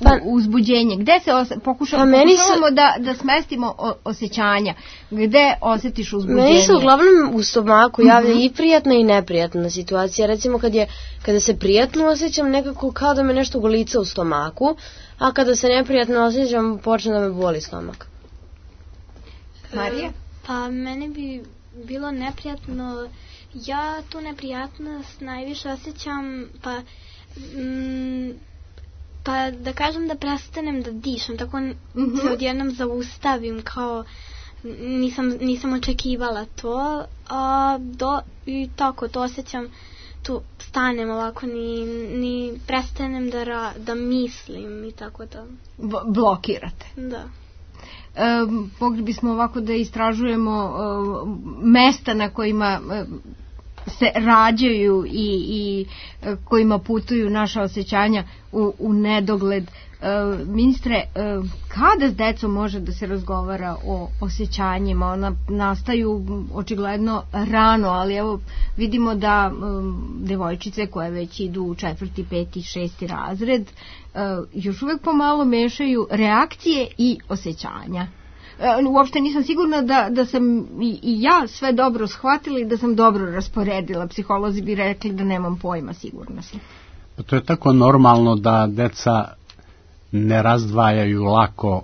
pa, uzbuđenje? Gde se os, pokušamo, pa pokušavamo su, da, da smestimo o, osjećanja? Gde osjetiš uzbuđenje? Meni se uglavnom u stomaku javlja uh-huh. i prijatna i neprijatna situacija. Recimo kad je, kada se prijatno osjećam, nekako kao da me nešto golica u stomaku, a kada se neprijatno osjećam, počne da me boli stomak. Marija? Pa mene bi bilo neprijatno, ja tu neprijatnost najviše osjećam, pa mm, pa da kažem da prestanem da dišem, tako uh-huh. se odjednom zaustavim, kao nisam, nisam očekivala to, a do, i tako to osjećam, tu stanem ovako, ni, ni prestanem da, ra, da mislim i tako da. B- blokirate? Da. E, mogli bismo ovako da istražujemo e, mesta na kojima e, se rađaju i, i e, kojima putuju naša osjećanja u, u nedogled. E, ministre, e, kada s decom može da se razgovara o osjećanjima? Ona nastaju očigledno rano, ali evo vidimo da e, devojčice koje već idu u četvrti, peti, šesti razred e, još uvek pomalo mešaju reakcije i osjećanja. E, uopšte nisam sigurna da, da sam i, i ja sve dobro shvatila i da sam dobro rasporedila. Psiholozi bi rekli da nemam pojma, sigurna sam. Pa to je tako normalno da deca ne razdvajaju lako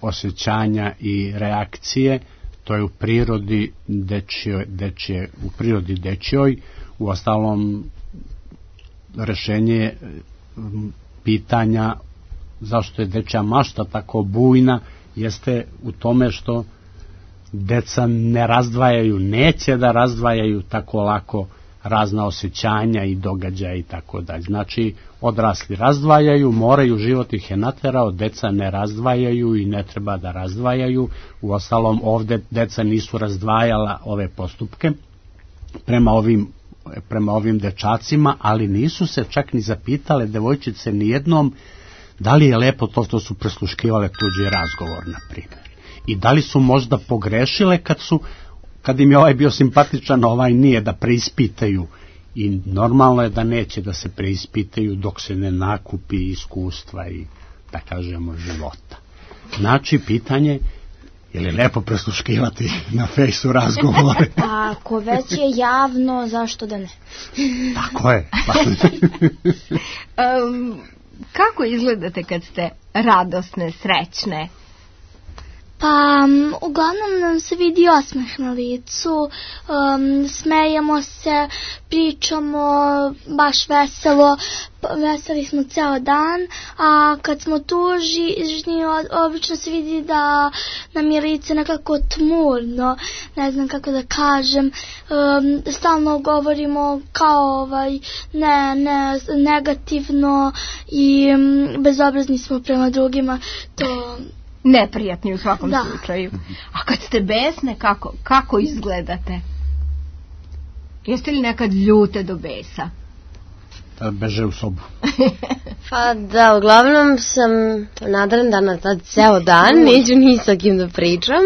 osjećanja i reakcije, to je u prirodi dečjoj, dečje, u prirodi dečjoj, u ostalom rešenje pitanja zašto je dečja mašta tako bujna jeste u tome što deca ne razdvajaju, neće da razdvajaju tako lako razna osjećanja i događaja i tako dalje. Znači, odrasli razdvajaju, moraju, život ih je naterao, deca ne razdvajaju i ne treba da razdvajaju. Uostalom, ovde deca nisu razdvajala ove postupke prema ovim, prema ovim dečacima, ali nisu se čak ni zapitale devojčice nijednom da li je lepo to što su presluškivale tuđi razgovor, na primjer. I da li su možda pogrešile kad su kad im je ovaj bio simpatičan, ovaj nije, da preispitaju. I normalno je da neće da se preispitaju dok se ne nakupi iskustva i, da kažemo, života. Znači, pitanje, je li lepo presluškivati na fejsu razgovore? Pa, ako već je javno, zašto da ne? Tako je. um, kako izgledate kad ste radosne, srećne? Pa, um, uglavnom nam se vidi osmeh na licu, um, smejemo se, pričamo, baš veselo, veseli smo ceo dan, a kad smo tužni, obično se vidi da nam je lice nekako tmurno, ne znam kako da kažem, um, stalno govorimo kao ovaj, ne, ne, negativno i um, bezobrazni smo prema drugima, to... neprijatni u svakom da. slučaju. A kad ste besne, kako, kako izgledate? Jeste li nekad ljute do besa? Da beže u sobu. Pa da, uglavnom sam nadrendana tad ceo dan, neću ni sa kim da pričam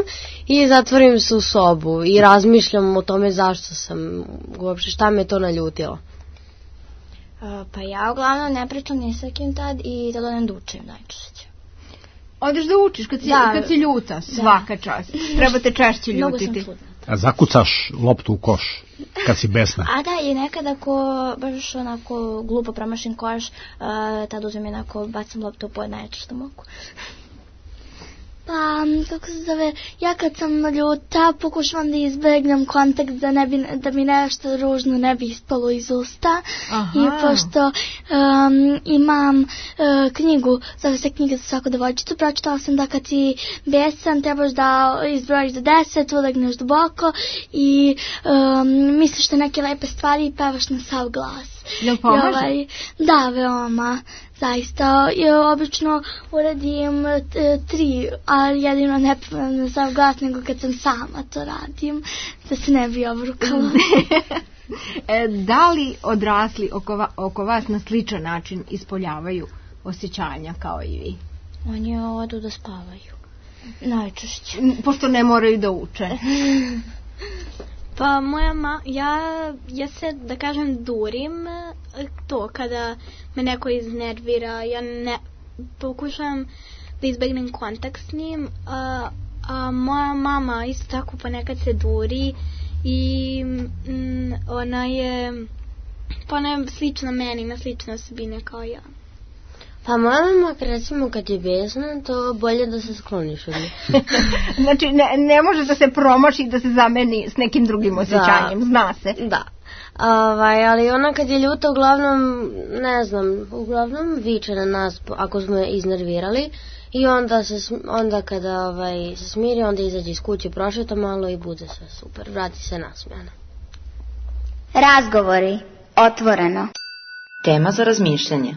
i zatvorim se u sobu i razmišljam o tome zašto sam, uopšte šta me to naljutilo. Uh, pa ja uglavnom ne pričam ni sa kim tad i tada ne dučem najčešće. Odeš da učiš kad si, da, kad si ljuta, svaka čast. Treba te češće ljutiti. A zakucaš loptu u koš kad si besna? A da, i nekad ako baš onako glupo promašim koš, uh, tad uzmem jednako, bacam loptu u pod najčešće što mogu. Pa, kako se zove, ja kad sam ljuta pokušavam da izbegnem kontakt da, ne bi, da mi nešto ružno ne bi ispalo iz usta. Aha. I pošto um, imam uh, knjigu, zove se knjiga za svaku devojčicu, pročitala sam da kad si besan trebaš da izbrojiš do deset, ulegneš duboko i um, misliš te neke lepe stvari i pevaš na sav glas. Jel pomaže? Ovaj, da, veoma. Zaista, ja obično uradim t, tri, ali jedino ne pevam na sav glas, nego kad sam sama to radim, da se ne bi obrukala. e, da li odrasli oko, va, oko vas na sličan način ispoljavaju osjećanja kao i vi? Oni odu da spavaju. Najčešće. Pošto ne moraju da uče. Pa moja ma, ja, ja se, da kažem, durim to kada me neko iznervira, ja ne, pokušavam da izbegnem kontakt s njim, a, a moja mama isto tako ponekad se duri i m, ona je, pa ona je slična meni, ima slične osobine kao ja. Pa moja mama, recimo, kad je besna, to bolje da se skloniš od nje. Znači, ne, ne može da se promaši da se zameni s nekim drugim osjećanjem, da, zna se. Da. Ovaj, ali ona kad je ljuta, uglavnom, ne znam, uglavnom viče na nas ako smo je iznervirali i onda, se, onda kada ovaj, se smiri, onda izađe iz kuće, prošeta malo i bude sve super, vrati se nasmijana. Razgovori, otvoreno. Tema za razmišljanje.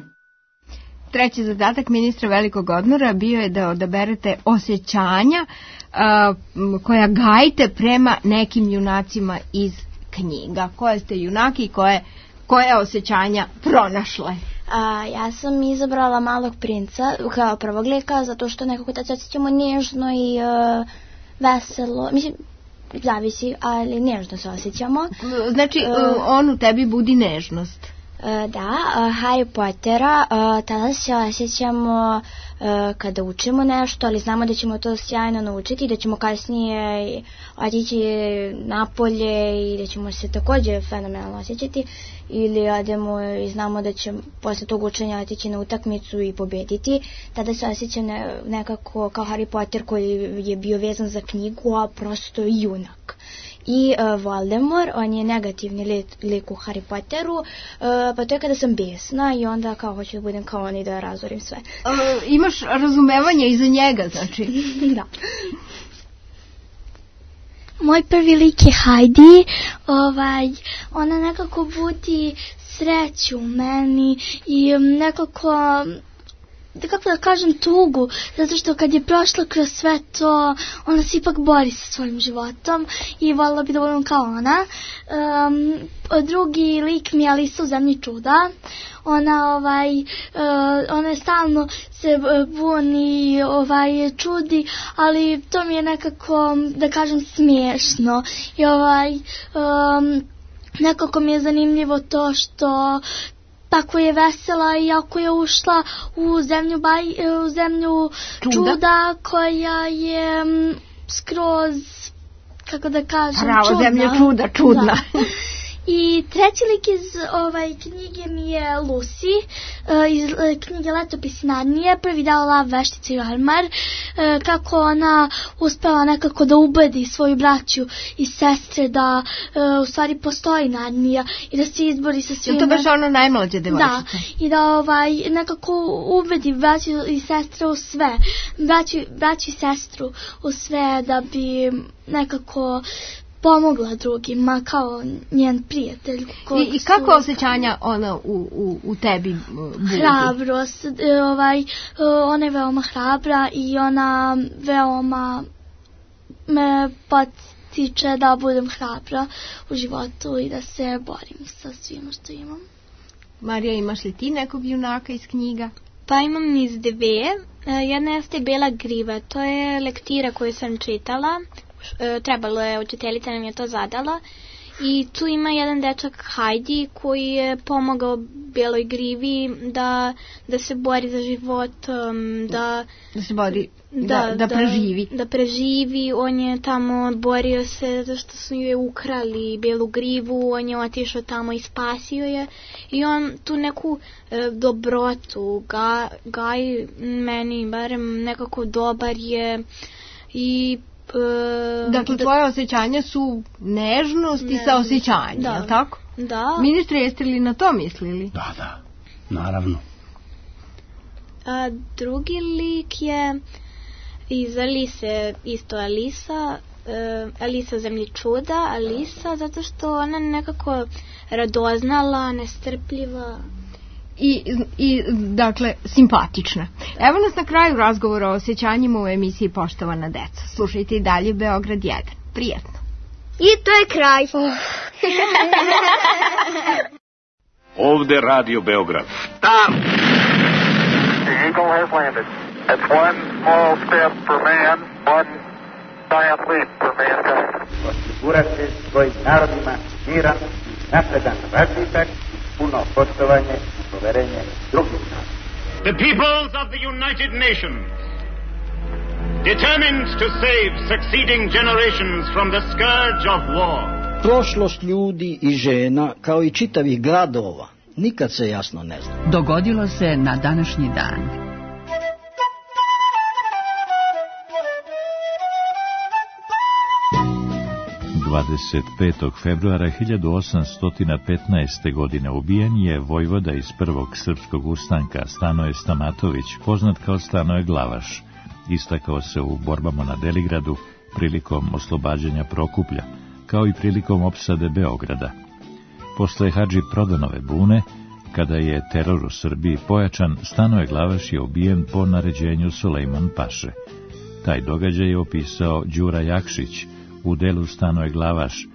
Treći zadatak ministra velikog odmora bio je da odaberete osjećanja uh, koja gajite prema nekim junacima iz knjiga. Koje ste junaki i koje, koje osjećanja pronašle? A, ja sam izabrala Malog princa kao prvog lika, zato što nekako da se osjećamo nježno i uh, veselo. Mislim, zavisi, ali nježno se osjećamo. Znači, uh, on u tebi budi nežnost. Da, Harry Pottera, tada se osjećamo kada učimo nešto, ali znamo da ćemo to sjajno naučiti i da ćemo kasnije otići napolje i da ćemo se također fenomenalno osjećati, ili odemo i znamo da će posle tog učenja otići na utakmicu i pobediti. Tada se osjeća nekako kao Harry Potter koji je bio vezan za knjigu, a prosto junak. I uh, Voldemort, on je negativni lik, lik u Harry Potteru, uh, pa to je kada sam besna i onda kao hoću da budem kao on i da razorim sve. Uh, imaš razumevanje i za njega, znači? Da. Moj prvi lik je Heidi, ovaj, ona nekako budi sreću u meni i nekako, da kako da kažem, tugu, zato što kad je prošla kroz sve to, ona se ipak bori sa svojim životom i voljela bi da budem kao ona. Um, drugi lik mi je Alisa u zemlji čuda. Ona, ovaj, uh, ona je stalno se buni, ovaj, čudi, ali to mi je nekako, da kažem, smiješno. I ovaj, um, nekako mi je zanimljivo to što tako je vesela i ako je ušla u zemlju, baj, u zemlju čuda. čuda koja je m, skroz, kako da kažem, Pravo, čudna. zemlja čuda, čudna. Da. I treći lik iz ovaj, knjige mi je Lucy, uh, iz uh, knjige Letopisi Narnije, prvi deo Lav, veštica i ormar, uh, kako ona uspela nekako da ubedi svoju braću i sestre da uh, u stvari postoji Narnija i da se izbori sa svima. Je to baš ono najmlađe devojčice? Da, i da ovaj, nekako ubedi braću i sestre u sve, braću, braću i sestru u sve da bi nekako pomogla drugima kao njen prijatelj. I, i kako su osjećanja ona u, u, u tebi budi? Hrabrost, ovaj, ona je veoma hrabra i ona veoma me potiče da budem hrabra u životu i da se borim sa svima što imam. Marija, imaš li ti nekog junaka iz knjiga? Pa imam niz dve. Jedna jeste Bela griva, to je lektira koju sam čitala. Trebalo je, učiteljica nam je to zadala i tu ima jedan dečak Heidi koji je pomogao Beloj grivi da, da se bori za život, da, da se bori, da, da, da preživi. Da, da preživi, on je tamo borio se zašto su je ukrali Belu grivu, on je otišao tamo i spasio je i on tu neku e, dobrotu ga, gaj meni barem nekako dobar je i Uh, dakle, tvoje da, osjećanja su nežnost ne, i saosjećanje, da, je li tako? Da. Ministre, jeste li na to mislili? Da, da, naravno. A drugi lik je iz Alise, isto Alisa, uh, Alisa u zemlji čuda, Alisa, zato što ona nekako radoznala, nestrpljiva. I, i, dakle, simpatična. Evo nas na kraju razgovora o osjećanjima u emisiji Poštovana deca. Slušajte i dalje Beograd jedan. Prijetno. I to je kraj. Ovde Radio Beograd. Stop! The Eagle has landed. It's one small step for man, one osigurati svojim narodima miran i napredan razvitak, puno poštovanje i poverenje drugih naroda. The peoples of the United Nations, determined to save succeeding generations from the scourge of war. Prošlost ljudi i žena, kao i čitavih gradova, nikad se jasno ne zna. Dogodilo se na današnji dan. dvadeset petog februara hiljadu osamsto petnaeste. godine ubijen je vojvoda iz prvog srpskog ustanka Stanoje Stamatović, poznat kao Stanoje Glavaš. Istakao se u borbama na Deligradu prilikom oslobađanja Prokuplja, kao i prilikom opsade Beograda. Posle Hadži Prodanove bune, kada je teror u Srbiji pojačan, Stanoje Glavaš je ubijen po naređenju Sulejman Paše. Taj događaj je opisao Đura Jakšić u delu Stanoje Glavaš,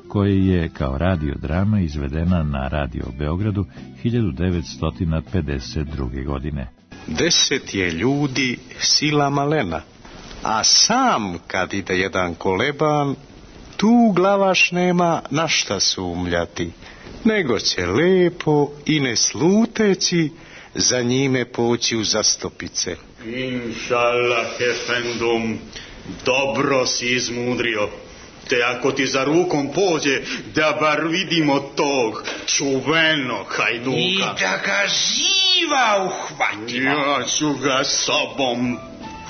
koji je kao radiodrama izvedena na Radio Beogradu hiljadu devetsto pedeset druge. godine. Deset je ljudi sila malena, a sam kad ide jedan koleban, tu Glavaš nema na šta sumljati, nego će lepo i ne sluteći za njime poći u zastopice. Inšallah, efendum, dobro si izmudrio. Te ako ti za rukom pođe, da bar vidimo tog čuvenog hajduka. I da ga živa uhvatimo. Ja ću ga sobom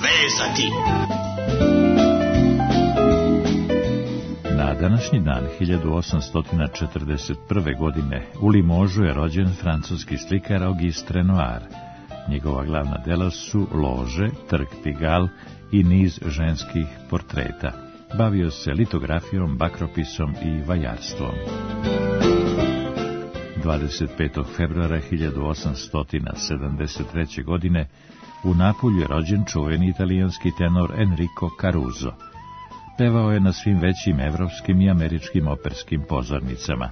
vezati. Na današnji dan hiljadu osamsto četrdeset prve. godine u Limožu je rođen francuski slikar Auguste Renoir. Njegova glavna dela su Lože, Trg Pigalle i niz ženskih portreta. Bavio se litografijom, bakropisom i vajarstvom. dvadeset petog februara hiljadu osamsto sedamdeset treće. godine u Napulju je rođen čuveni italijanski tenor Enrico Caruso. Pevao je na svim većim evropskim i američkim operskim pozornicama.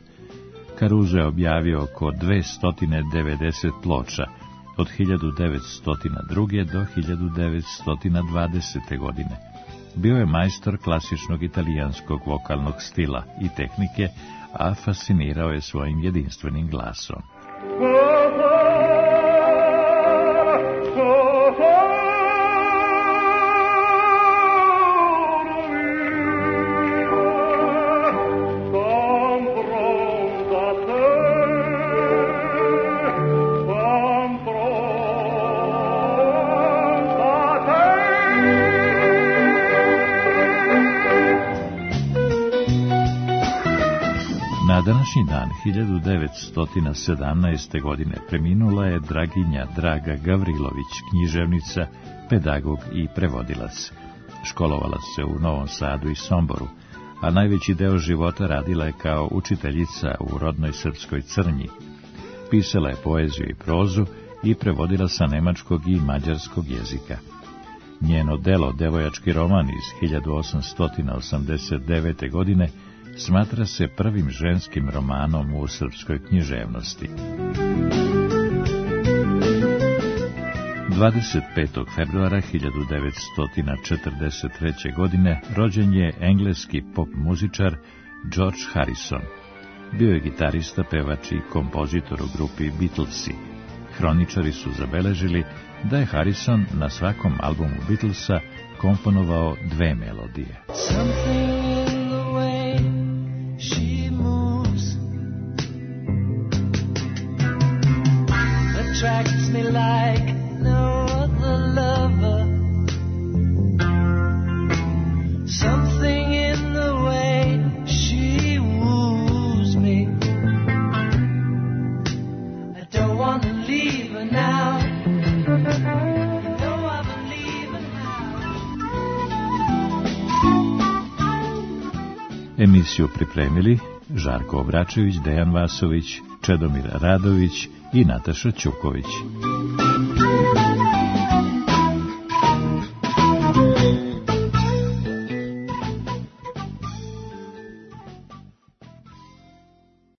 Caruso je objavio oko dvesta devedeset ploča od hiljadu devetsto druge. do hiljadu devetsto dvadesete. godine. Bio je majstor klasičnog italijanskog vokalnog stila i tehnike, a fascinirao je svojim jedinstvenim glasom. Na današnji dan hiljadu devetsto sedamnaeste. godine preminula je Draginja Draga Gavrilović, književnica, pedagog i prevodilac. Školovala se u Novom Sadu i Somboru, a najveći deo života radila je kao učiteljica u rodnoj srpskoj Crnji. Pisala je poeziju i prozu i prevodila sa nemačkog i mađarskog jezika. Njeno delo, devojački roman iz hiljadu osamsto osamdeset devete. godine, smatra se prvim ženskim romanom u srpskoj književnosti. dvadeset petog februara hiljadu devetsto četrdeset treće. godine rođen je engleski pop muzičar George Harrison. Bio je gitarista, pevač i kompozitor u grupi Beatlesi. Hroničari su zabeležili da je Harrison na svakom albumu Beatlesa komponovao dve melodije. Attracts me like no other lover. Something in the way she woos me. I don't want to leave her now. Though I believe her now. Emisiju pripremili Žarko Obračević, Dejan Vasović, Čedomir Radović i Nataša Ćuković.